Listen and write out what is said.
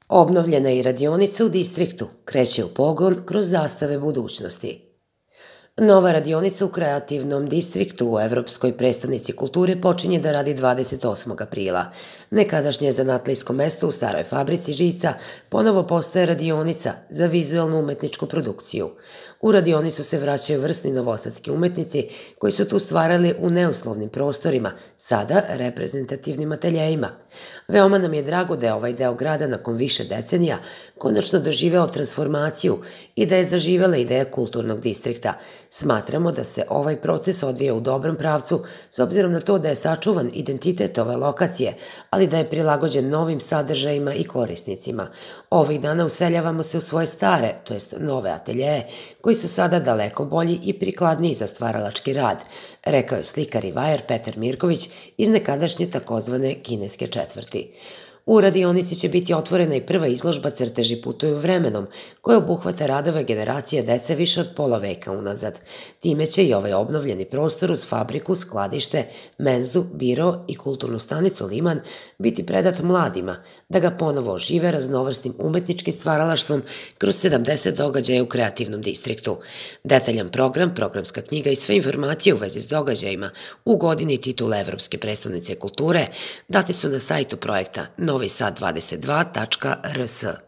Obnovljena je i radionica u distriktu, kreće u pogon kroz zastave budućnosti. Nova radionica u kreativnom distriktu u Evropskoj prestonici kulture počinje da radi 28. aprila. Nekadašnje zanatlijsko mesto u staroj fabrici žica ponovo postaje radionica za vizualnu umetničku produkciju. U radionicu se vraćaju vrsni novosadski umetnici koji su tu stvarali u neuslovnim prostorima, sada reprezentativnim ateljejima. Veoma nam je drago da je ovaj deo grada nakon više decenija konačno doživeo transformaciju i da je zaživela ideja kulturnog distrikta. Smatramo da se ovaj proces odvija u dobrom pravcu s obzirom na to da je sačuvan identitet ove lokacije, ali da je prilagođen novim sadržajima i korisnicima. Ovih dana useljavamo se u svoje stare, to jest nove ateljeje, koji su sada daleko bolji i prikladniji za stvaralački rad, rekao je slikar i vajar Petar Mirković iz nekadašnje takozvane kineske četvrti. U radionici će biti otvorena i prva izložba Crteži putuju vremenom, koja obuhvata radove generacije dece više od pola veka unazad. Time će i ovaj obnovljeni prostor uz fabriku, skladište, menzu, biro i kulturnu stanicu Liman biti predat mladima, da ga ponovo ožive raznovrsnim umetničkim stvaralaštvom kroz 70 događaja u kreativnom distriktu. Detaljan program, programska knjiga i sve informacije u vezi s događajima u godini titula Evropske prestonice kulture date su na sajtu projekta novisad22.rs.